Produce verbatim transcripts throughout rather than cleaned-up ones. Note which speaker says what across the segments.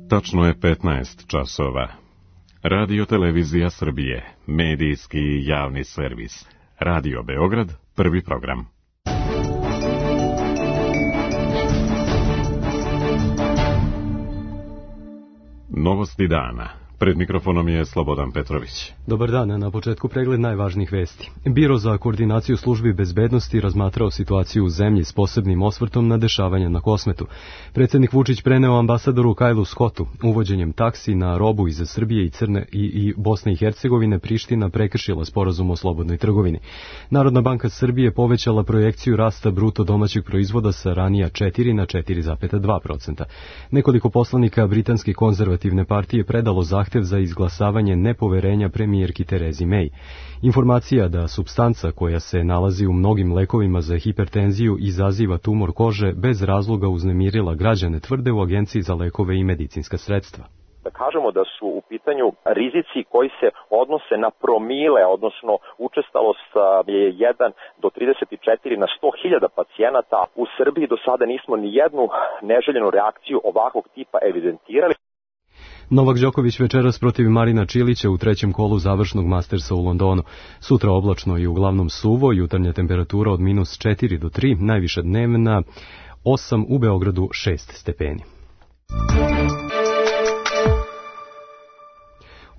Speaker 1: Tačno je petnaest časova. Radio Televizija Srbije, medijski javni servis. Radio Beograd, prvi program. Novosti dana. Pred mikrofonom je Slobodan Petrović.
Speaker 2: Dobar dan, na početku pregled najvažnijih vesti. Biro za koordinaciju službi bezbednosti razmatrao situaciju u zemlji s posebnim osvrtom na dešavanja na Kosmetu. Predsjednik Vučić preneo ambasadoru Kajlu Skotu. Uvođenjem taksi na robu iz Srbije i Crne i, i Bosne i Hercegovine Priština prekršila sporazum o slobodnoj trgovini. Narodna banka Srbije povećala projekciju rasta bruto domaćeg proizvoda sa ranija četiri na četiri zarez dva procenta. Nekoliko poslanika Britanske konzervativne partije predalo zahtev za izglasavanje nepoverenja premijerki Terezi May. Informacija da supstanca koja se nalazi u mnogim lekovima za hipertenziju izaziva tumor kože bez razloga uznemirila građane, tvrde u Agenciji za lekove i medicinska sredstva.
Speaker 3: Da kažemo da su u pitanju rizici koji se odnose na promile, odnosno učestalost je jedan do trideset četiri na sto hiljada pacijenata. U Srbiji do sada nismo ni jednu neželjenu reakciju ovakvog tipa evidentirali.
Speaker 2: Novak Đoković večeras protiv Marina Čilića u trećem kolu završnog Mastersa u Londonu. Sutra oblačno i uglavnom suvo, jutarnja temperatura od minus četiri do tri, najviša dnevna osam, u Beogradu šest stepeni.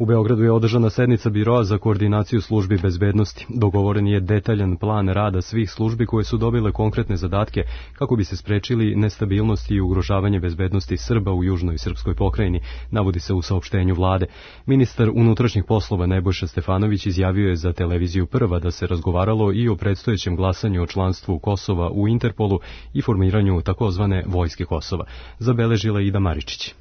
Speaker 2: U Beogradu je održana sednica Biroa za koordinaciju službi bezbednosti. Dogovoren je detaljan plan rada svih službi koje su dobile konkretne zadatke kako bi se sprečili nestabilnosti i ugrožavanje bezbednosti Srba u južnoj srpskoj pokrajini, navodi se u saopštenju vlade. Ministar unutrašnjih poslova Nebojša Stefanović izjavio je za televiziju Prva da se razgovaralo i o predstojećem glasanju o članstvu Kosova u Interpolu i formiranju takozvane vojske Kosova. Zabeležila Ida Maričić.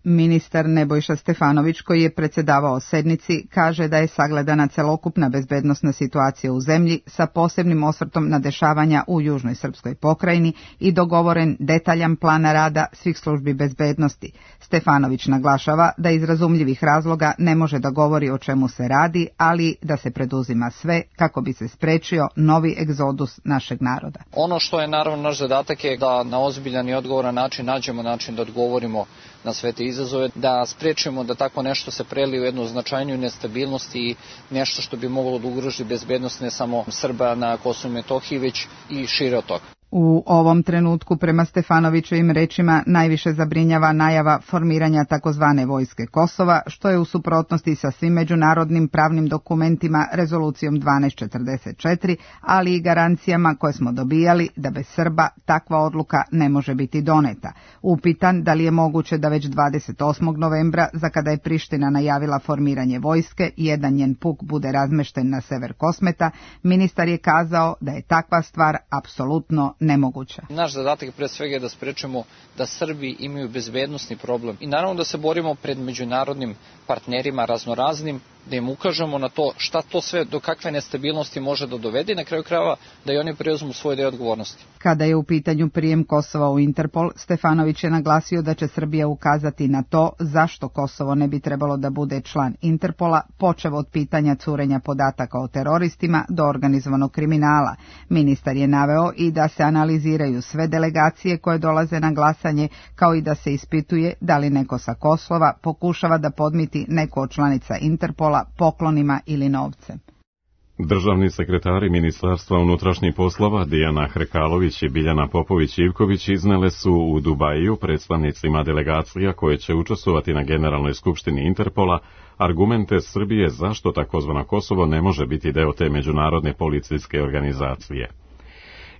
Speaker 4: Ministar Nebojša Stefanović, koji je predsjedavao sednici, kaže da je sagledana celokupna bezbednosna situacija u zemlji sa posebnim osvrtom na dešavanja u južnoj srpskoj pokrajini i dogovoren detaljan plan rada svih službi bezbednosti. Stefanović naglašava da iz razumljivih razloga ne može da govori o čemu se radi, ali da se preduzima sve kako bi se sprečio novi egzodus našeg naroda.
Speaker 5: Ono što je naravno naš zadatak je da na ozbiljan i odgovoran način nađemo način da odgovorimo na sve te izazove, da sprečimo da tako nešto se prelije u jednu značajniju nestabilnost i nešto što bi moglo da ugroži bezbednost ne samo Srba na Kosovu i Metohiji, već i šire od toga.
Speaker 4: U ovom trenutku, prema Stefanovićevim rečima, najviše zabrinjava najava formiranja takozvane vojske Kosova, što je u suprotnosti sa svim međunarodnim pravnim dokumentima, rezolucijom dvanaest četrdeset četiri, ali i garancijama koje smo dobijali da bez Srba takva odluka ne može biti doneta. Upitan da li je moguće da već dvadeset osmog novembra, za kada je Priština najavila formiranje vojske, jedan njen puk bude razmešten na sever Kosmeta, ministar je kazao da je takva stvar apsolutno nemoguća.
Speaker 5: Naš zadatak pre svega je da sprečemo da Srbi imaju bezbednosni problem i naravno da se borimo pred međunarodnim partnerima raznoraznim, da im ukažemo na to šta to sve, do kakve nestabilnosti može da dovede i na kraju krajeva da i oni preuzmu svoj deo odgovornosti.
Speaker 4: Kada je u pitanju prijem Kosova u Interpol, Stefanović je naglasio da će Srbija ukazati na to zašto Kosovo ne bi trebalo da bude član Interpola, počev od pitanja curenja podataka o teroristima do organizovanog kriminala. Ministar je naveo i da se analiziraju sve delegacije koje dolaze na glasanje, kao i da se ispituje da li neko sa Kosova pokušava da podmiti neko od članica Interpola poklonima ili novcem.
Speaker 1: Državni sekretari Ministarstva unutrašnjih poslova Dijana Hrkalović i Biljana Popović-Ivković iznele su u Dubaju predstavnicima delegacija koje će učestvovati na Generalnoj skupštini Interpola argumente Srbije zašto takozvano Kosovo ne može biti deo te međunarodne policijske organizacije.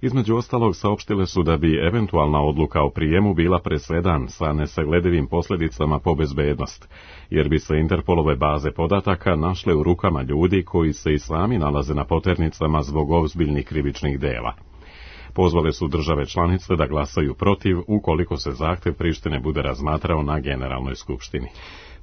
Speaker 1: Između ostalog saopštile su da bi eventualna odluka o prijemu bila presedan sa nesagledivim posljedicama po bezbednost, jer bi se Interpolove baze podataka našle u rukama ljudi koji se i sami nalaze na poternicama zbog ozbiljnih krivičnih dela. Pozvale su države članice da glasaju protiv ukoliko se zahtev Prištine bude razmatrao na Generalnoj skupštini.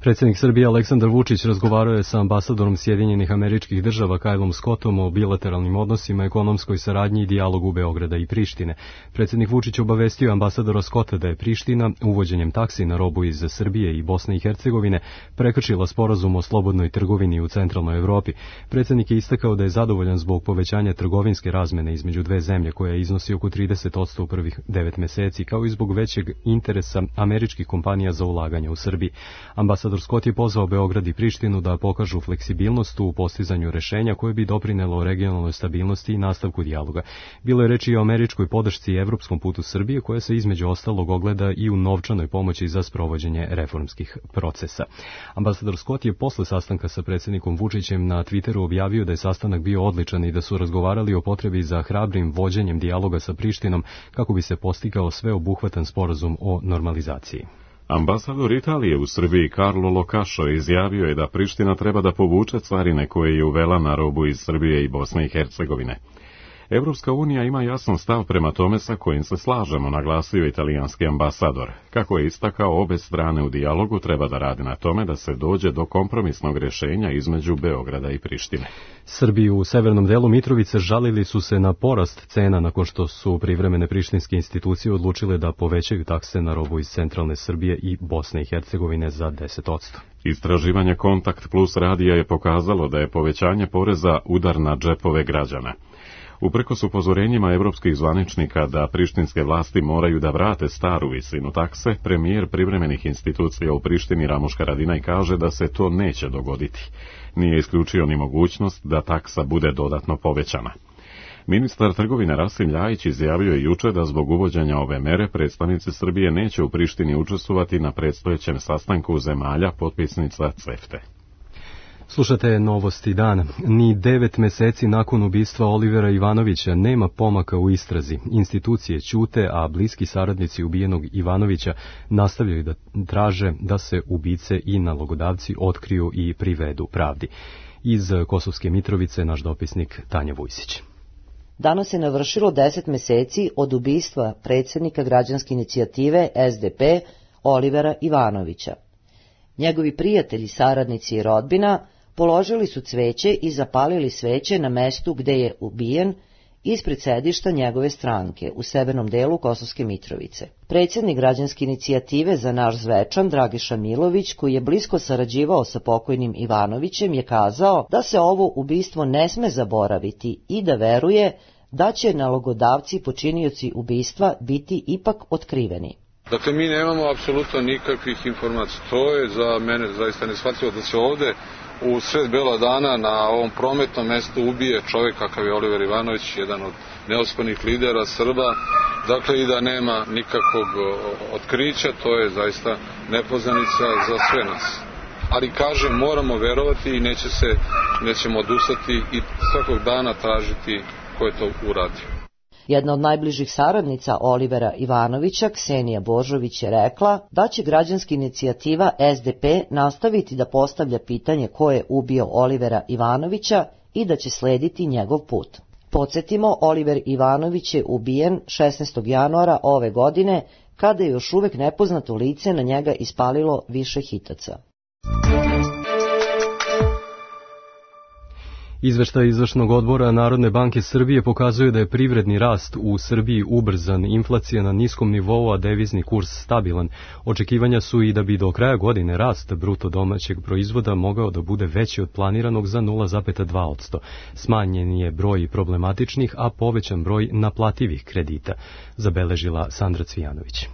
Speaker 2: Predsjednik Srbije Aleksandar Vučić razgovarao je sa ambasadorom Sjedinjenih Američkih Država Kylom Scottom o bilateralnim odnosima, ekonomskoj saradnji i dijalogu Beograda i Prištine. Predsjednik Vučić obavestio ambasadora Scotta da je Priština uvođenjem taksi na robu iz Srbije i Bosne i Hercegovine prekršila sporazum o slobodnoj trgovini u centralnoj Evropi. Predsjednik je istakao da je zadovoljan zbog povećanja trgovinske razmene između dve zemlje koja iznosi oko trideset posto u prvih devet meseci, kao i zbog većeg interesa američkih kompanija za ulaganje u Srbiji. Ambasador Scott je pozvao Beograd i Prištinu da pokažu fleksibilnost u postizanju rešenja koje bi doprinelo regionalnoj stabilnosti i nastavku dijaloga. Bilo je reči i o američkoj podršci i evropskom putu Srbije, koja se između ostalog ogleda i u novčanoj pomoći za sprovođenje reformskih procesa. Ambasador Scott je posle sastanka sa predsjednikom Vučićem na Twitteru objavio da je sastanak bio odličan i da su razgovarali o potrebi za hrabrim vođenjem dijaloga sa Prištinom kako bi se postigao sveobuhvatan sporazum o normalizaciji.
Speaker 1: Ambasador Italije u Srbiji Carlo Locašo izjavio je da Priština treba da povuče carine koje je uvela na robu iz Srbije i Bosne i Hercegovine. Evropska unija ima jasan stav prema tome sa kojim se slažemo, naglasio italijanski ambasador. Kako je istakao, obe strane u dijalogu treba da rade na tome da se dođe do kompromisnog rješenja između Beograda i Prištine.
Speaker 2: Srbi u severnom delu Mitrovice žalili su se na porast cena nakon što su privremene prištinske institucije odlučile da povećaju takse na robu iz centralne Srbije i Bosne i Hercegovine za deset posto.
Speaker 1: Istraživanje Kontakt Plus radija je pokazalo da je povećanje poreza udar na džepove građana. Uprkos upozorenjima evropskih zvaničnika da prištinske vlasti moraju da vrate staru visinu takse, premijer privremenih institucija u Prištini Ramuš Haradinaj kaže da se to neće dogoditi. Nije isključio ni mogućnost da taksa bude dodatno povećana. Ministar trgovine Rasim Ljajić izjavio je juče da zbog uvođenja ove mere predstavnici Srbije neće u Prištini učestvovati na predstojećem sastanku zemalja potpisnica CEFTA.
Speaker 2: Slušate novosti dana. Ni devet meseci nakon ubistva Olivera Ivanovića nema pomaka u istrazi. Institucije ćute, a bliski saradnici ubijenog Ivanovića nastavljaju da traže da se ubice i nalogodavci otkriju i privedu pravdi. Iz Kosovske Mitrovice naš dopisnik Tanja Vujsić.
Speaker 6: Danas je navršilo deset meseci od ubistva predsjednika građanske inicijative S D P Olivera Ivanovića. Njegovi prijatelji, saradnici i rodbina položili su cveće i zapalili sveće na mestu gde je ubijen ispred sedišta njegove stranke u severnom delu Kosovske Mitrovice. Predsjednik građanske inicijative Za naš Zvečan, Dragiša Milović, koji je blisko sarađivao sa pokojnim Ivanovićem, je kazao da se ovo ubistvo ne sme zaboraviti i da veruje da će nalogodavci i počinioci ubistva biti ipak otkriveni.
Speaker 7: Dakle, mi nemamo apsolutno nikakvih informacija. To je za mene zaista neshvatljivo da se ovde u sred bela dana na ovom prometnom mestu ubije čovjek kakav je Oliver Ivanović, jedan od neospornih lidera Srba, dakle i da nema nikakvog otkrića, to je zaista nepoznanica za sve nas. Ali kažem, moramo verovati i neće se, nećemo odustati i svakog dana tražiti ko je to uradio.
Speaker 6: Jedna od najbližih saradnica Olivera Ivanovića, Ksenija Božović, je rekla da će građanska inicijativa S D P nastaviti da postavlja pitanje ko je ubio Olivera Ivanovića i da će slediti njegov put. Podsjetimo, Oliver Ivanović je ubijen šesnaestog januara ove godine, kada je još uvek nepoznato lice na njega ispalilo više hitaca.
Speaker 2: Izveštaj izvršnog odbora Narodne banke Srbije pokazuje da je privredni rast u Srbiji ubrzan, inflacija na niskom nivou, a devizni kurs stabilan. Očekivanja su i da bi do kraja godine rast bruto domaćeg proizvoda mogao da bude veći od planiranog za nula zarez dva posto. Smanjen je broj problematičnih, a povećan broj naplativih kredita, zabeležila Sandra Cvijanović.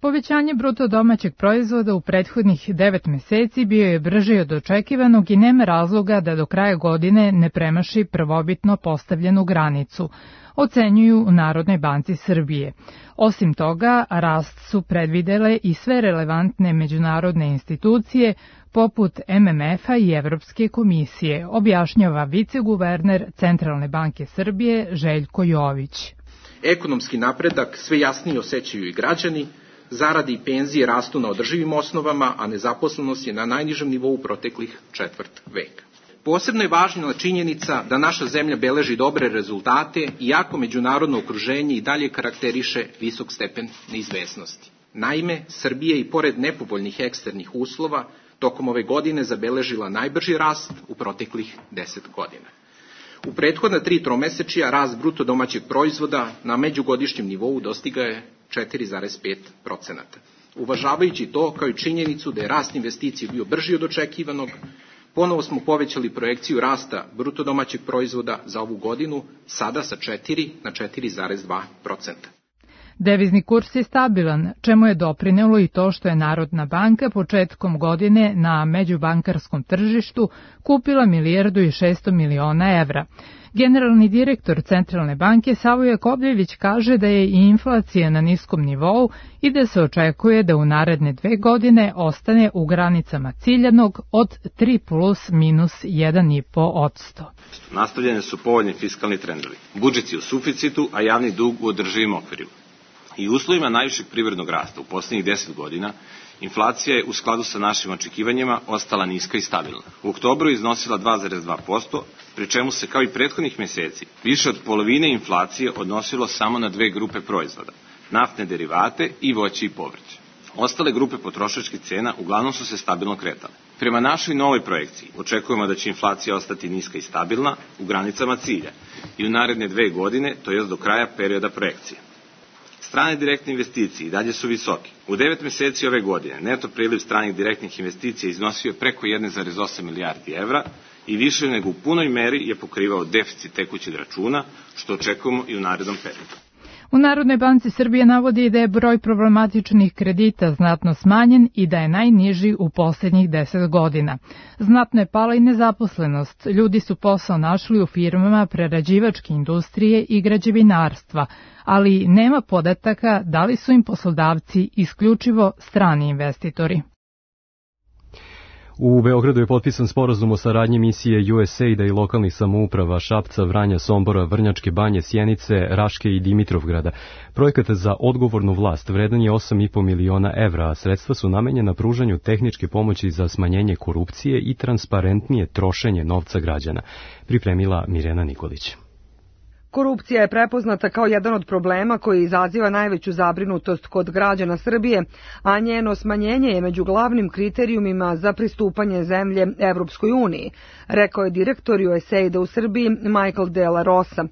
Speaker 8: Povećanje bruto domaćeg proizvoda u prethodnih devet meseci bio je brži od očekivanog i nema razloga da do kraja godine ne premaši prvobitno postavljenu granicu, ocenjuju u Narodnoj banci Srbije. Osim toga, rast su predvidele i sve relevantne međunarodne institucije, poput M M F-a i Evropske komisije, objašnjava viceguverner Centralne banke Srbije Željko Jović.
Speaker 9: Ekonomski napredak sve jasnije osjećaju i građani, zarade i penzije rastu na održivim osnovama, a nezaposlenost je na najnižem nivou proteklih četvrt veka. Posebno je važna činjenica da naša zemlja beleži dobre rezultate, iako međunarodno okruženje i dalje karakteriše visok stepen neizvesnosti. Naime, Srbija i pored nepovoljnih eksternih uslova tokom ove godine zabeležila najbrži rast u proteklih deset godina. U prethodna tri tromesečija rast bruto domaćeg proizvoda na međugodišnjem nivou dostiga je četiri zarez pet procenata. Uvažavajući to, kao i činjenicu da je rast investicije bio brži od očekivanog, ponovo smo povećali projekciju rasta bruto domaćeg proizvoda za ovu godinu, sada sa četiri na četiri zarez dva procenta.
Speaker 8: Devizni kurs je stabilan, čemu je doprinelo i to što je Narodna banka početkom godine na međubankarskom tržištu kupila milijardu i šesto miliona evra. Generalni direktor Centralne banke Savo Jakovljević kaže da je i inflacija na niskom nivou i da se očekuje da u naredne dve godine ostane u granicama ciljanog od tri plus minus jedan i po odsto.
Speaker 10: Nastavljene su povoljni fiskalni trendovi. Budžet je u suficitu, a javni dug u održivim okvirima. I u uslovima najvišeg privrednog rasta u poslednjih deset godina, inflacija je u skladu sa našim očekivanjima ostala niska i stabilna. U oktobru je iznosila dva zarez dva posto, pri čemu se kao i prethodnih meseci više od polovine inflacije odnosilo samo na dve grupe proizvoda, naftne derivate i voće i povrće. Ostale grupe potrošačkih cena uglavnom su se stabilno kretale. Prema našoj novoj projekciji očekujemo da će inflacija ostati niska i stabilna u granicama cilja i u naredne dve godine, to jest do kraja perioda projekcije. Strane direktne investicije i dalje su visoke. U devet meseci ove godine neto priliv stranih direktnih investicija iznosio je preko jedan zarez osam milijardi evra i više nego u punoj meri je pokrivao deficit tekućeg računa, što očekujemo i u narednom periodu.
Speaker 8: U Narodnoj banci Srbije navodi da je broj problematičnih kredita znatno smanjen i da je najniži u poslednjih deset godina. Znatno je pala i nezaposlenost. Ljudi su posao našli u firmama prerađivačke industrije i građevinarstva, ali nema podataka da li su im poslodavci isključivo strani investitori.
Speaker 2: U Beogradu je potpisan sporazum o saradnji misije U S A I D-a i lokalnih samouprava Šapca, Vranja, Sombora, Vrnjačke Banje, Sjenice, Raške i Dimitrovgrada. Projekat za odgovornu vlast vredan je osam i po miliona evra, a sredstva su namenjena pružanju tehničke pomoći za smanjenje korupcije i transparentnije trošenje novca građana. Pripremila Mirjana Nikolić.
Speaker 11: Korupcija je prepoznata kao jedan od problema koji izaziva najveću zabrinutost kod građana Srbije, a njeno smanjenje je među glavnim kriterijumima za pristupanje zemlje Evropskoj uniji, rekao je direktor U S A I D-a u Srbiji Michael De La Rosa.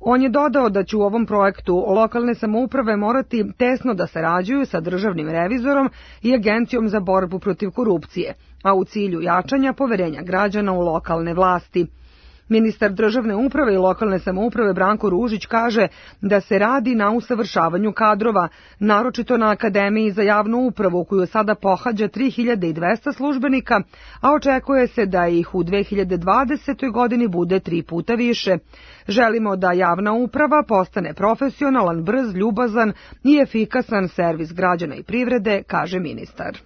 Speaker 11: On je dodao da će u ovom projektu lokalne samouprave morati tesno da sarađuju sa državnim revizorom i Agencijom za borbu protiv korupcije, a u cilju jačanja poverenja građana u lokalne vlasti. Ministar državne uprave i lokalne samouprave Branko Ružić kaže da se radi na usavršavanju kadrova, naročito na Akademiji za javnu upravu koju sada pohađa tri hiljade dvesta službenika, a očekuje se da ih u dve hiljade dvadesetoj godini bude tri puta više. Želimo da javna uprava postane profesionalan, brz, ljubazan i efikasan servis građana i privrede, kaže ministar.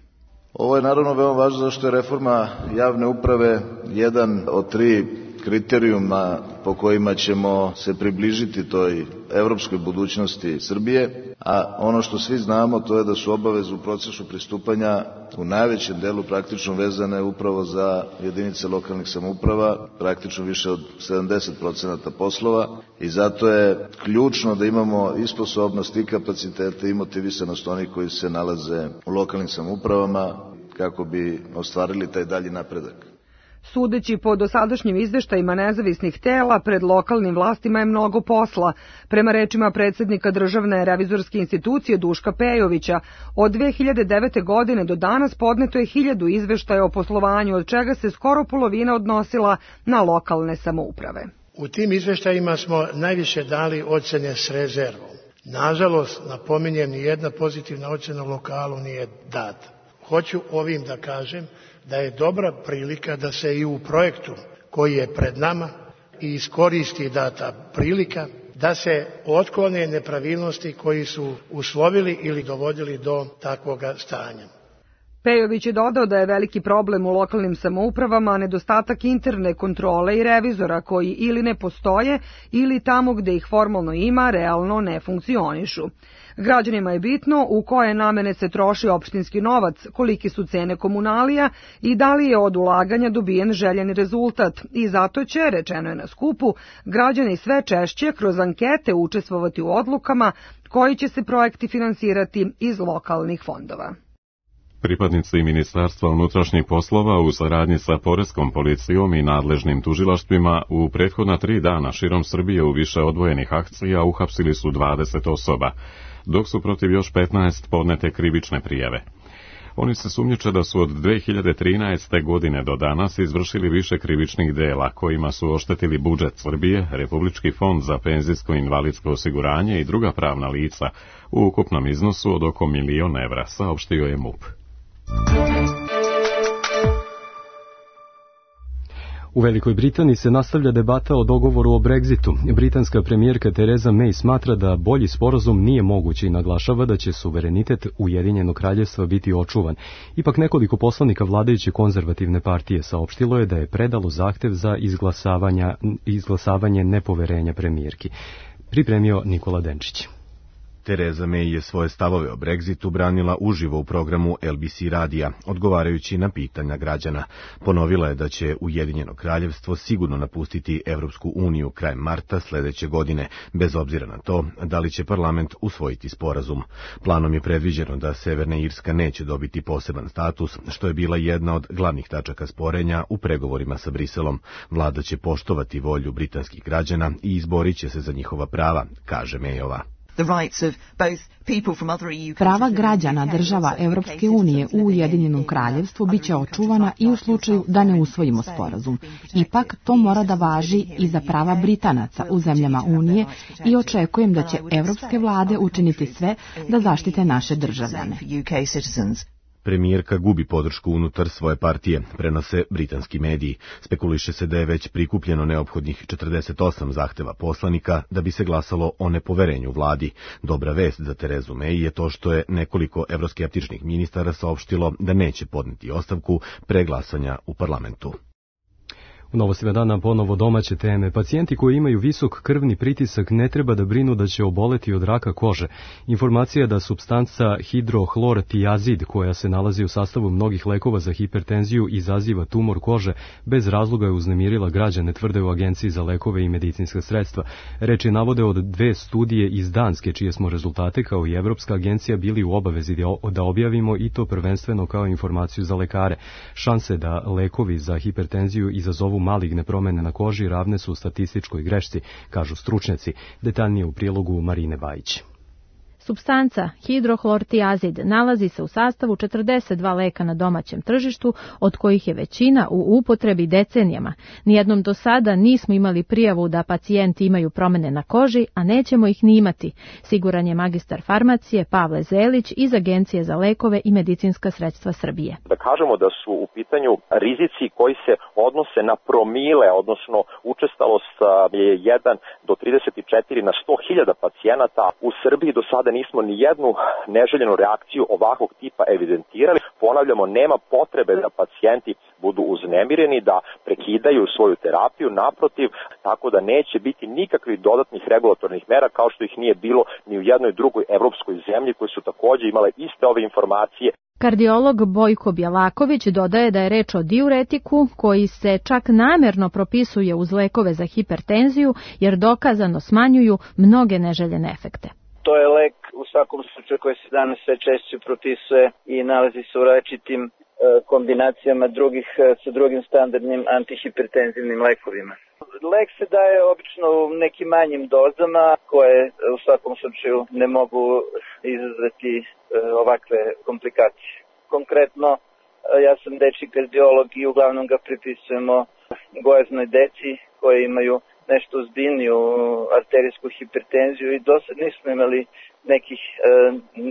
Speaker 12: Ovo je naravno veoma važno zašto je reforma javne uprave jedan od tri kriterijuma po kojima ćemo se približiti toj evropskoj budućnosti Srbije, a ono što svi znamo to je da su obaveze u procesu pristupanja u najvećem delu praktično vezane upravo za jedinice lokalnih samouprava, praktično više od sedamdeset procenata poslova i zato je ključno da imamo i sposobnost i kapacitete i motivisanost onih koji se nalaze u lokalnim samoupravama kako bi ostvarili taj dalji napredak.
Speaker 11: Sudeći po dosadašnjim izveštajima nezavisnih tela, pred lokalnim vlastima je mnogo posla. Prema rečima predsednika Državne revizorske institucije Duška Pejovića, od dve hiljade devete. godine do danas podneto je hiljadu izveštaja o poslovanju, od čega se skoro polovina odnosila na lokalne samouprave.
Speaker 13: U tim izveštajima smo najviše dali ocene s rezervom. Nažalost, napominjem, nijedna pozitivna ocena u lokalu nije data. Hoću ovim da kažem da je dobra prilika da se i u projektu koji je pred nama i iskoristi data prilika da se otklone nepravilnosti koji su uslovili ili dovodili do takvog stanja.
Speaker 11: Pejović je dodao da je veliki problem u lokalnim samoupravama nedostatak interne kontrole i revizora koji ili ne postoje ili tamo gde ih formalno ima realno ne funkcionišu. Građanima je bitno u koje namene se troši opštinski novac, koliki su cene komunalija i da li je od ulaganja dobijen željeni rezultat. I zato će, rečeno je na skupu, građani sve češće kroz ankete učestvovati u odlukama koji će se projekti finansirati iz lokalnih fondova.
Speaker 1: Pripadnici Ministarstva unutrašnjih poslova u saradnji sa Poreskom policijom i nadležnim tužilaštvima u prethodna tri dana širom Srbije u više odvojenih akcija uhapsili su dvadeset osoba, dok su protiv još petnaest podnete krivične prijave. Oni se sumnjiče da su od dve hiljade trinaeste. godine do danas izvršili više krivičnih dela kojima su oštetili budžet Srbije, Republički fond za penzijsko i invalidsko osiguranje i druga pravna lica u ukupnom iznosu od oko milion evra, saopštio je MUP.
Speaker 2: U Velikoj Britaniji se nastavlja debata o dogovoru o Brexitu. Britanska premijerka Theresa May smatra da bolji sporazum nije mogući i naglašava da će suverenitet Ujedinjenog kraljevstva biti očuvan. Ipak nekoliko poslanika vladajuće konzervativne partije saopštilo je da je predalo zahtev za izglasavanje nepoverenja premijerki. Pripremio Nikola Denčić.
Speaker 14: Theresa May je svoje stavove o Brexitu branila uživo u programu L B C radija, odgovarajući na pitanja građana. Ponovila je da će Ujedinjeno kraljevstvo sigurno napustiti Evropsku uniju krajem marta sledeće godine, bez obzira na to da li će parlament usvojiti sporazum. Planom je predviđeno da Severna Irska neće dobiti poseban status, što je bila jedna od glavnih tačaka sporenja u pregovorima sa Briselom. Vlada će poštovati volju britanskih građana i izborit će se za njihova prava, kaže Mayova.
Speaker 15: Prava građana država Europske unije u Ujedinjenom kraljevstvu biće očuvana i u slučaju da ne usvojimo sporazum. Ipak to mora da važi i za prava Britanaca u zemljama Unije i očekujem da će evropske vlade učiniti sve da zaštite naše državljane.
Speaker 14: Premijerka gubi podršku unutar svoje partije, prenose britanski mediji. Spekuliše se da je već prikupljeno neophodnih četrdeset osam zahteva poslanika da bi se glasalo o nepoverenju vladi. Dobra vest za Terezu May je to što je nekoliko evroskeptičnih ministara saopštilo da neće podneti ostavku pre glasanja u parlamentu.
Speaker 2: U Novostima dana ponovo domaće teme. Pacijenti koji imaju visok krvni pritisak ne treba da brinu da će oboleti od raka kože. Informacija da supstanca hidrohlortijazid, koja se nalazi u sastavu mnogih lekova za hipertenziju, izaziva tumor kože, bez razloga je uznemirila građane, tvrde u Agenciji za lekove i medicinska sredstva. Reči navode od dve studije iz Danske, čije smo rezultate kao i Evropska agencija bili u obavezi da objavimo, i to prvenstveno kao informaciju za lekare. Šanse da lekovi za hipertenziju izazovu maligne promene na koži ravne su statističkoj grešci, kažu stručnjaci. Detaljnije u prilogu Marine Bajić.
Speaker 16: Supstanca hidrohlortijazid nalazi se u sastavu četrdeset dva leka na domaćem tržištu, od kojih je većina u upotrebi decenijama. Nijednom do sada nismo imali prijavu da pacijenti imaju promene na koži, a nećemo ih ni imati, siguran je magistar farmacije Pavle Zelić iz Agencije za lekove i medicinska sredstva Srbije.
Speaker 3: Da kažemo da su u pitanju rizici koji se odnose na promile, odnosno učestalost je jedan do trideset četiri na sto hiljada pacijenata. U Srbiji do sada nismo ni jednu neželjenu reakciju ovakvog tipa evidentirali. Ponavljamo, nema potrebe da pacijenti budu uznemireni, da prekidaju svoju terapiju, naprotiv, tako da neće biti nikakvih dodatnih regulatornih mera kao što ih nije bilo ni u jednoj drugoj evropskoj zemlji koji su također imale iste ove informacije.
Speaker 16: Kardiolog Bojko Bjelaković dodaje da je reč o diuretiku koji se čak namerno propisuje uz lekove za hipertenziju jer dokazano smanjuju mnoge neželjene efekte.
Speaker 17: To je lek u svakom slučaju koji se danas sve češće propisuje i nalazi se u različitim e, kombinacijama drugih, sa drugim standardnim antihipertenzivnim lekovima. Lek se daje obično u nekim manjim dozama koje u svakom slučaju ne mogu izazvati e, ovakve komplikacije. Konkretno, e, ja sam dečji kardiolog i uglavnom ga pripisujemo gojaznoj deci koje imaju nešto ozbiljniju arterijsku hipertenziju i do sad nismo imali nekih e,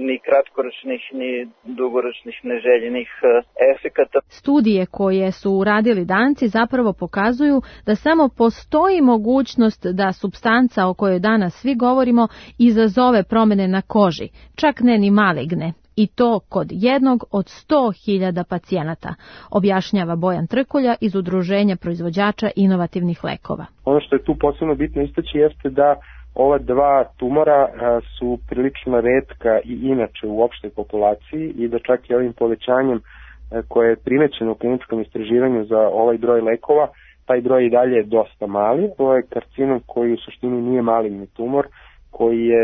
Speaker 17: ni kratkoročnih ni dugoročnih neželjenih e, efekata.
Speaker 16: Studije koje su uradili Danci zapravo pokazuju da samo postoji mogućnost da supstanca o kojoj danas svi govorimo izazove promene na koži, čak ne ni maligne. I to kod jednog od sto hiljada pacijenata, objašnjava Bojan Trkulja iz Udruženja proizvođača inovativnih lekova.
Speaker 18: Ono što je tu posebno bitno istaći jeste da ova dva tumora su prilično retka i inače u opštoj populaciji i da čak i ovim povećanjem koje je primećeno u kliničkom istraživanju za ovaj broj lekova, taj broj i dalje je dosta mali. To je karcinom koji u suštini nije maligni tumor koji je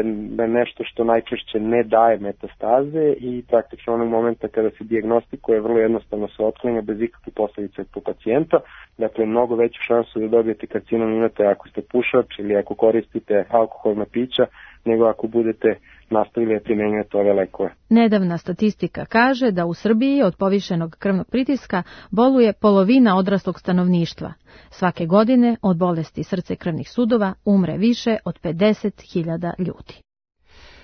Speaker 18: nešto što najčešće ne daje metastaze i praktično onog momenta kada se dijagnostikuje vrlo jednostavno se otklanja bez ikakvih posljedica po pacijenta. Dakle, mnogo veću šansu da dobijete karcinom imate ako ste pušač ili ako koristite alkoholna pića, nego ako budete nastavili da primenjujete ove lekove.
Speaker 16: Nedavna statistika kaže da u Srbiji od povišenog krvnog pritiska boluje polovina odraslog stanovništva. Svake godine od bolesti srca i krvnih sudova umre više od pedeset hiljada ljudi.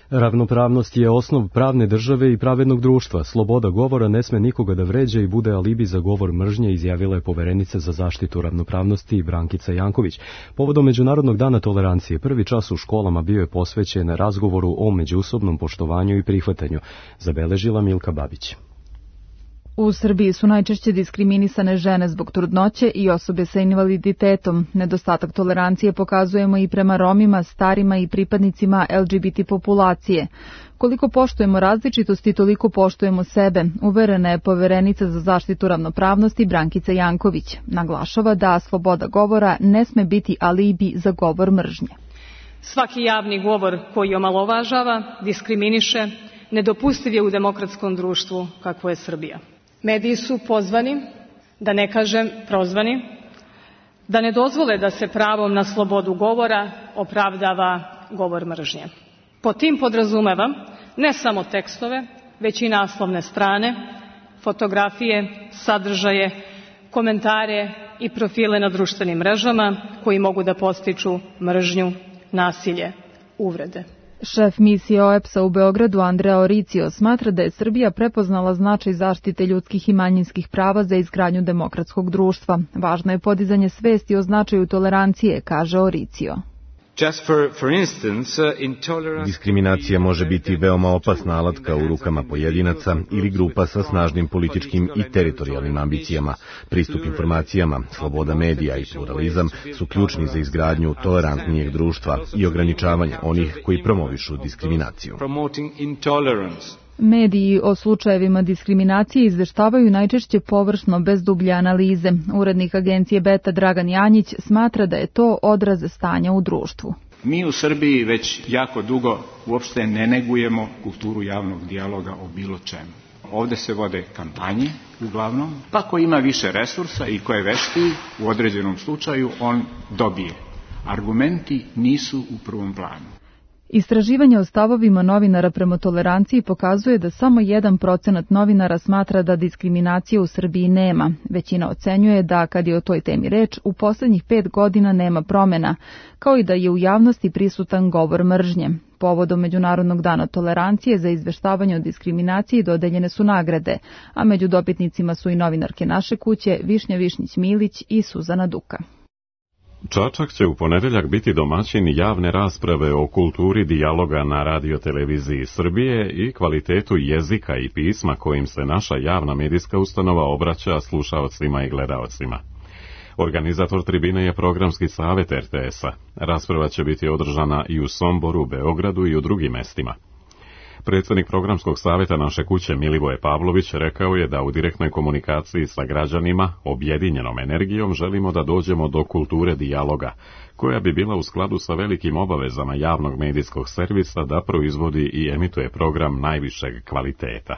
Speaker 2: Ravnopravnost je osnov pravne države i pravednog društva. Sloboda govora ne sme nikoga da vređa i bude alibi za govor mržnje, izjavila je poverenica za zaštitu ravnopravnosti Brankica Janković. Povodom Međunarodnog dana tolerancije, prvi čas u školama bio je posvećen razgovoru o međusobnom poštovanju i prihvatanju, zabeležila Milka Babić.
Speaker 19: U Srbiji su najčešće diskriminisane žene zbog trudnoće i osobe sa invaliditetom. Nedostatak tolerancije pokazujemo i prema Romima, starima i pripadnicima L G B T populacije. Koliko poštujemo različitosti, toliko poštujemo sebe, uverena je poverenica za zaštitu ravnopravnosti Brankica Janković. Naglašava da sloboda govora ne sme biti alibi za govor mržnje.
Speaker 20: Svaki javni govor koji omalovažava, diskriminiše, nedopustiv je u demokratskom društvu kakvo je Srbija. Mediji su pozvani, da ne kažem prozvani, da ne dozvole da se pravom na slobodu govora opravdava govor mržnje. Po tim podrazumevam ne samo tekstove, već i naslovne strane, fotografije, sadržaje, komentare i profile na društvenim mrežama koji mogu da podstiču mržnju, nasilje, uvrede.
Speaker 19: Šef misije O E P S-a u Beogradu Andrea Oricio smatra da je Srbija prepoznala značaj zaštite ljudskih i manjinskih prava za izgradnju demokratskog društva. Važno je podizanje svesti o značaju tolerancije, kaže Oricio.
Speaker 14: Diskriminacija može biti veoma opasna alatka u rukama pojedinaca ili grupa sa snažnim političkim i teritorijalnim ambicijama. Pristup informacijama, sloboda medija i pluralizam su ključni za izgradnju tolerantnijeg društva i ograničavanje onih koji promovišu diskriminaciju.
Speaker 19: Mediji o slučajevima diskriminacije izveštavaju najčešće površno, bez dublje analize. Urednik agencije Beta Dragan Janjić smatra da je to odraz stanja u društvu.
Speaker 21: Mi u Srbiji već jako dugo uopšte ne negujemo kulturu javnog dijaloga o bilo čemu. Ovde se vode kampanje, uglavnom, pa ko ima više resursa i ko je veštiji, u određenom slučaju on dobije. Argumenti nisu u prvom planu.
Speaker 19: Istraživanje o stavovima novinara prema toleranciji pokazuje da samo jedan procenat novinara smatra da diskriminacije u Srbiji nema. Većina ocenjuje da, kad je o toj temi reč, u poslednjih pet godina nema promena, kao i da je u javnosti prisutan govor mržnje. Povodom Međunarodnog dana tolerancije za izveštavanje o diskriminaciji dodeljene su nagrade, a među dobitnicima su i novinarke Naše kuće Višnja Višnjić-Milić i Suzana Duka.
Speaker 1: Čačak će u ponedeljak biti domaćin javne rasprave o kulturi dijaloga na radioteleviziji Srbije i kvalitetu jezika i pisma kojim se naša javna medijska ustanova obraća slušaocima i gledaocima. Organizator tribine je programski savjet R T S-a. Rasprava će biti održana i u Somboru, Beogradu i u drugim mestima. Predsjednik programskog savjeta Naše kuće Milivoje Pavlović rekao je da u direktnoj komunikaciji sa građanima objedinjenom energijom želimo da dođemo do kulture dijaloga, koja bi bila u skladu sa velikim obavezama javnog medijskog servisa da proizvodi i emituje program najvišeg kvaliteta.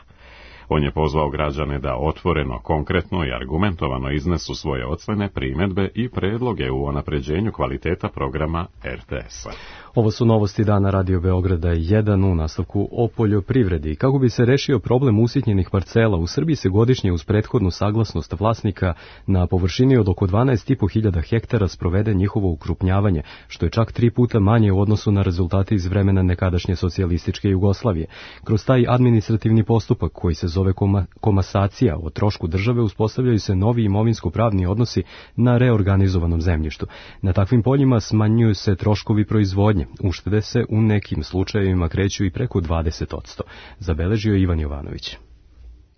Speaker 1: On je pozvao građane da otvoreno, konkretno i argumentovano iznesu svoje ocene, primjedbe i predloge u unapređenju kvaliteta programa R T S-a.
Speaker 2: Ovo su novosti dana Radio Beograda jedan u nastavku o poljoprivredi. Kako bi se rešio problem usitnjenih parcela, u Srbiji se godišnje uz prethodnu saglasnost vlasnika na površini od oko dvanaest i po hiljada hektara sprovede njihovo ukrupnjavanje, što je čak tri puta manje u odnosu na rezultate iz vremena nekadašnje socijalističke Jugoslavije. Kroz taj administrativni postupak koji se zove koma, komasacija o trošku države uspostavljaju se novi imovinsko-pravni odnosi na reorganizovanom zemljištu. Na takvim poljima smanjuju se troškovi proizvodnje. Uštede se u nekim slučajevima kreću i preko dvadeset posto, zabeležio Ivan Jovanović.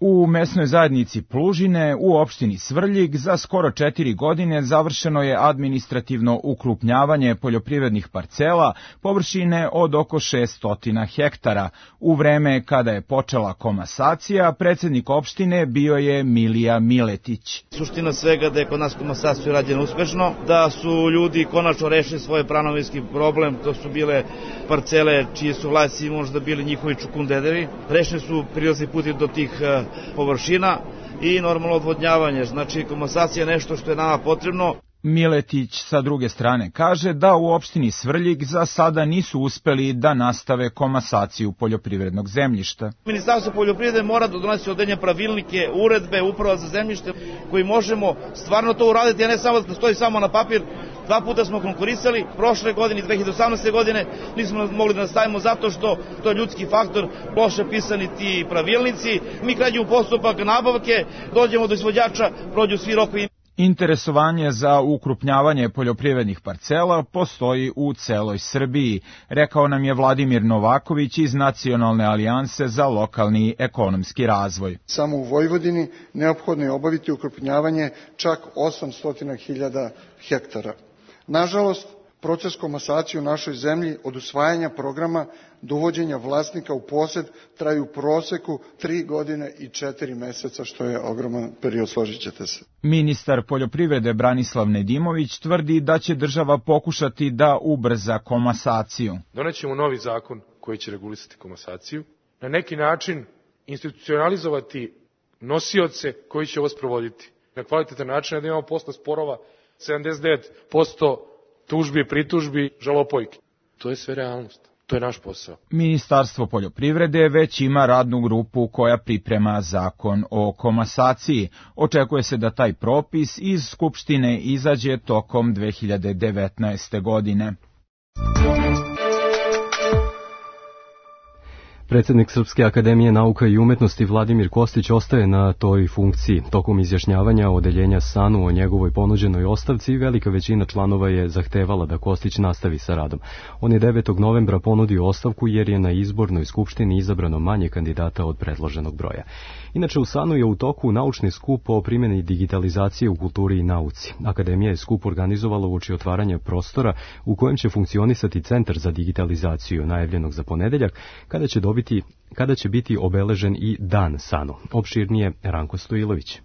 Speaker 5: U mesnoj zajednici Plužine u opštini Svrljig za skoro četiri godine završeno je administrativno ukrupnjavanje poljoprivrednih parcela površine od oko šesto hektara. U vreme kada je počela komasacija, predsednik opštine bio je Milija Miletić.
Speaker 22: Suština svega da je kod nas komasacija rađena uspešno, da su ljudi konačno rešili svoj pravnovinski problem, to su bile parcele čiji su vlasnici možda bili njihovi čukundedevi, rešeni su prilazni puti do tih površina i normalno odvodnjavanje. Znači, komasacija je nešto što je nama potrebno.
Speaker 5: Miletić sa druge strane kaže da u opštini Svrljig za sada nisu uspeli da nastave komasaciju poljoprivrednog zemljišta.
Speaker 22: Ministarstvo poljoprivrede mora da donosi određene pravilnike, uredbe, uprava za zemljište koji možemo stvarno to uraditi, a ne samo da stoji samo na papir. Dva puta smo konkurisali, prošle godine i dve hiljade osamnaeste. godine nismo mogli da nastavimo zato što to je ljudski faktor, loše pisani ti pravilnici. Mi krećemo postupak nabavke, dođemo do izvođača, prođu svi rokovi.
Speaker 5: Interesovanje za ukrupnjavanje poljoprivrednih parcela postoji u celoj Srbiji, rekao nam je Vladimir Novaković iz Nacionalne alijanse za lokalni ekonomski razvoj.
Speaker 23: Samo u Vojvodini neophodno je obaviti ukrupnjavanje čak osamsto hiljada hektara. Nažalost, proces komasacije u našoj zemlji od usvajanja programa do uvođenja vlasnika u posed traju u proseku tri godine i četiri meseca, što je ogroman period, složit ćete se.
Speaker 5: Ministar poljoprivrede Branislav Nedimović tvrdi da će država pokušati da ubrza komasaciju.
Speaker 24: Donećemo novi zakon koji će regulisati komasaciju, na neki način institucionalizovati nosioce koji će ovo sprovoditi. Na kvalitetan način da imamo posle sporova sedamdeset devet posto tužbi, pritužbi, žalopojki. To je sve realnost. To je naš posao.
Speaker 5: Ministarstvo poljoprivrede već ima radnu grupu koja priprema zakon o komasaciji. Očekuje se da taj propis iz Skupštine izađe tokom dve hiljade devetnaeste. godine.
Speaker 2: Predsednik Srpske akademije nauka i umetnosti Vladimir Kostić ostaje na toj funkciji. Tokom izjašnjavanja odeljenja SANU o njegovoj ponuđenoj ostavci, velika većina članova je zahtevala da Kostić nastavi sa radom. On je devetog novembra ponudio ostavku jer je na izbornoj skupštini izabrano manje kandidata od predloženog broja. Inače, u SANU je u toku naučni skup o primjeni digitalizacije u kulturi i nauci. Akademija je skup organizovala uoči otvaranja prostora u kojem će funkcionisati Centar za digitalizaciju, najavljenog za ponedeljak, kada će dobiti kada će biti obeležen i Dan SANU. Opširnije Ranko Stojilović.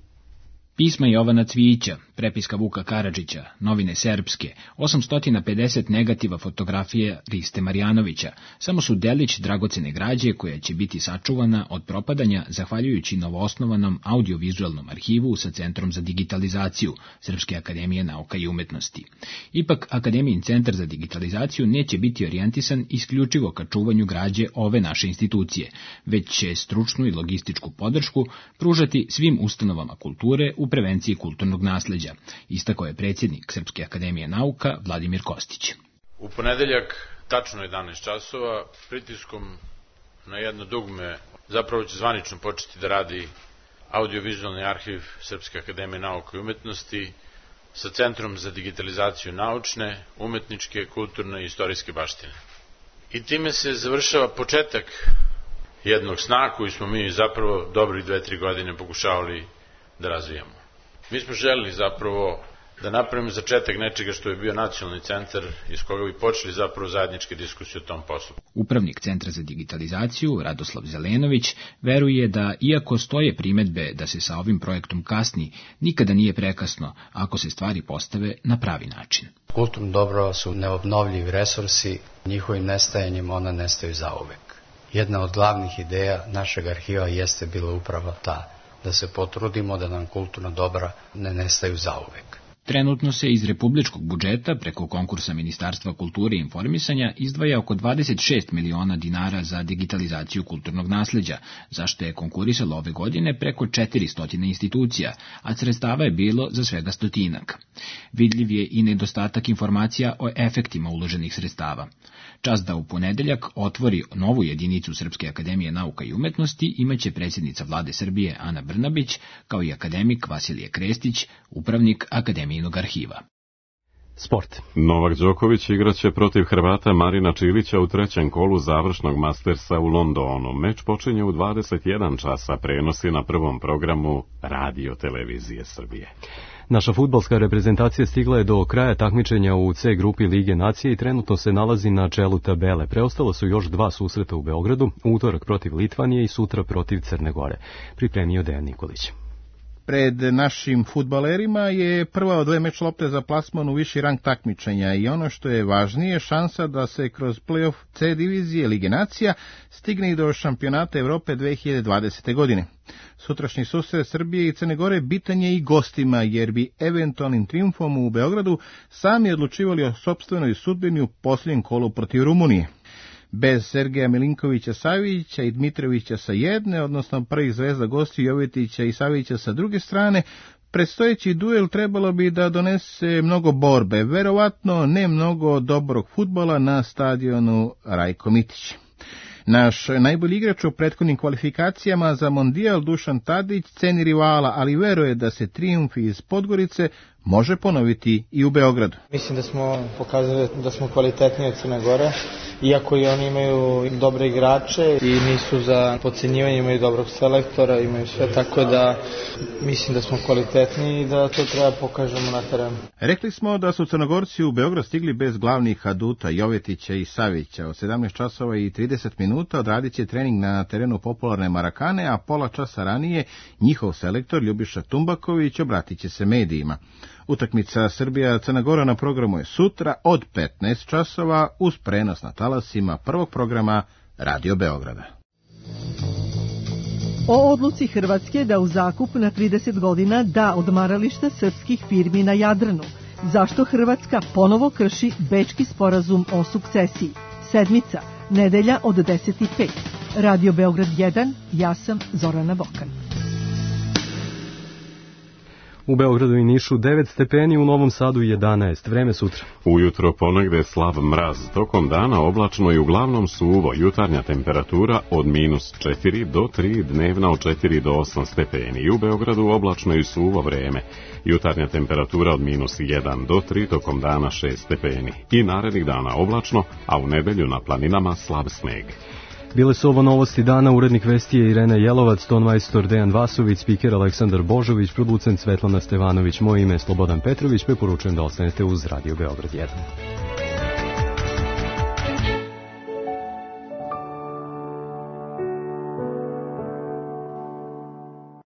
Speaker 25: Pisma Jovana Cvijića, prepiska Vuka Karadžića, novine Srpske, osamsto pedeset negativa fotografije Riste Marjanovića, samo su delić dragocene građe koja će biti sačuvana od propadanja zahvaljujući novoosnovanom audiovizualnom arhivu sa Centrom za digitalizaciju Srpske akademije nauka i umetnosti. Ipak, Akademijin centar za digitalizaciju neće biti orijentisan isključivo ka čuvanju građe ove naše institucije, već će stručnu i logističku podršku pružati svim ustanovama kulture u prevenciji kulturnog nasleđa, istakao je predsjednik Srpske akademije nauka Vladimir Kostić.
Speaker 26: U ponedeljak, tačno jedanaest časova, pritiskom na jedno dugme, zapravo će zvanično početi da radi audiovizualni arhiv Srpske akademije nauka i umetnosti sa Centrom za digitalizaciju naučne, umetničke, kulturne i istorijske baštine. I time se završava početak jednog sna koji smo mi zapravo dobrih dve, tri godine pokušavali da razvijamo. Mi smo želeli zapravo da napravimo začetak nečega što je bio nacionalni centar iz koga bi počeli zapravo zajedničke diskusije o tom poslu.
Speaker 25: Upravnik Centra za digitalizaciju Radoslav Zelenović veruje da, iako stoje primetbe da se sa ovim projektom kasni, nikada nije prekasno ako se stvari postave na pravi način.
Speaker 27: Kulturno dobro su neobnovljivi resursi, njihovim nestajanjem ona nestaju zauvek. Jedna od glavnih ideja našeg arhiva jeste bila upravo ta, da se potrudimo da nam kulturna dobra ne nestaju zauvek.
Speaker 25: Trenutno se iz republičkog budžeta preko konkursa Ministarstva kulture i informisanja izdvaja oko dvadeset šest miliona dinara za digitalizaciju kulturnog nasleđa, zašto je konkurisalo ove godine preko četiristo institucija, a sredstava je bilo za svega stotinak. Vidljiv je i nedostatak informacija o efektima uloženih sredstava. Čas da u ponedeljak otvori novu jedinicu Srpske akademije nauka i umetnosti imaće predsjednica vlade Srbije Ana Brnabić, kao i akademik Vasilije Krestić, upravnik Akademijinog arhiva.
Speaker 2: Sport.
Speaker 1: Novak Đoković igraće protiv Hrvata Marina Čilića u trećem kolu završnog Mastersa u Londonu. Meč počinje u dvadeset jedan časa, prenosi na prvom programu Radio Televizije Srbije.
Speaker 2: Naša fudbalska reprezentacija stigla je do kraja takmičenja u C grupi Lige nacije i trenutno se nalazi na čelu tabele. Preostalo su još dva susreta u Beogradu, utorak protiv Litvanije i sutra protiv Crne Gore. Pripremio Dejan Nikolić.
Speaker 4: Pred našim fudbalerima je prva od dve meč lopte za plasman u viši rang takmičenja i ono što je važnije, šansa da se kroz play-off C divizije Lige nacija stigne i do šampionata Evrope dve hiljade dvadesete. godine. Sutrašnji susret Srbije i Crne Gore bitan je i gostima, jer bi eventualnim triumfom u Beogradu sami odlučivali o sopstvenoj sudbini u posljednjem kolu protiv Rumunije. Bez Sergeja Milinkovića-Savića i Dmitrovića sa jedne, odnosno prvih zvezda gosti Jovetića i Savića sa druge strane, predstojeći duel trebalo bi da donese mnogo borbe, verovatno ne mnogo dobrog fudbala na stadionu Rajko Mitić. Naš najbolji igrač u prethodnim kvalifikacijama za mondijal Dušan Tadić ceni rivala, ali veruje da se trijumf iz Podgorice može ponoviti i u Beogradu.
Speaker 6: Mislim da smo pokazali da smo kvalitetniji od Crne Gore, iako i oni imaju dobre igrače i nisu za podcenjivanje, imaju dobrog selektora, imaju sve, tako da mislim da smo kvalitetniji i da to treba pokažemo na terenu.
Speaker 4: Rekli smo da su Crnogorci u Beograd stigli bez glavnih aduta Jovetića i Savića. Od sedamnaest časova i trideset minuta odradit će trening na terenu popularne Marakane, a pola časa ranije njihov selektor Ljubiša Tumbaković obratit će se medijima. Utakmica Srbija-Crna Gora na programu je sutra od petnaest časova uz prenos na talasima prvog programa Radio Beograda.
Speaker 7: O odluci Hrvatske da u zakup na trideset godina da odmarališta srpskih firmi na Jadranu. Zašto Hrvatska ponovo krši Bečki sporazum o sukcesiji? Sedmica, nedelja od deset i pet. Radio Beograd jedan, ja sam Zorana Bokan.
Speaker 2: U Beogradu i Nišu devet stepeni, u Novom Sadu jedanaest. Vreme sutra.
Speaker 1: Ujutro ponegde slab mraz, tokom dana oblačno i uglavnom suvo, jutarnja temperatura od minus četiri do tri, dnevna od četiri do osam stepeni. I u Beogradu oblačno i suvo vreme, jutarnja temperatura od minus jedan do tri, tokom dana šest stepeni. I narednih dana oblačno, a u nedelju na planinama slab sneg.
Speaker 2: Bile su ovo novosti dana, urednik vesti je Irena Jelovac, tonmajstor Dejan Vasović, spiker Aleksandar Božović, producent Svetlana Stevanović, moje ime je Slobodan Petrović, preporučujem da ostanete uz Radio Beograd jedan.